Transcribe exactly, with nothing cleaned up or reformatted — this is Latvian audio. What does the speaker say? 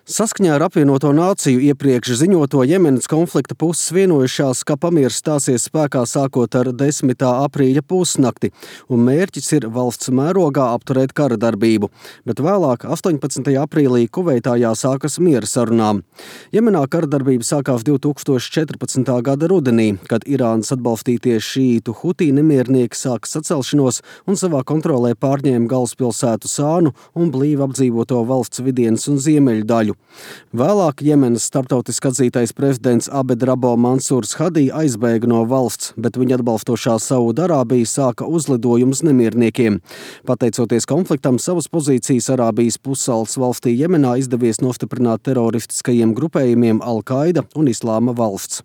Saskaņā ar apvienoto nāciju iepriekš ziņoto Jemenas konflikta puses vienojušās, ka pamieris stāsies spēkā sākot ar desmitā aprīļa pusnakti, un mērķis ir valsts mērogā apturēt kara darbību, bet vēlāk, astoņpadsmitajā aprīlī, Kuveitā jāsākas miera sarunām. Jemenā kara darbība sākās divi tūkstoši četrpadsmitā gada rudenī, kad Irānas atbalstītie šīītu Hutī nemiernieki sāka sacelšanos un savā kontrolē pārņēma galvaspilsētu Sānu un blīvi apdzīvoto valsts vidienas un ziemeļu daļu. Vēlāk Jemenas starptautiski atzītais prezidents Abed Rabo Mansūrs Hadī aizbēga no valsts, bet viņa atbalstošā Saūdarābija sāka uzlidojumus nemierniekiem. Pateicoties konfliktam, savas pozīcijas Arābijas pussalas valstī Jemenā izdevies nostiprināt teroristiskajiem grupējumiem Al-Qaida un Islāma valsts.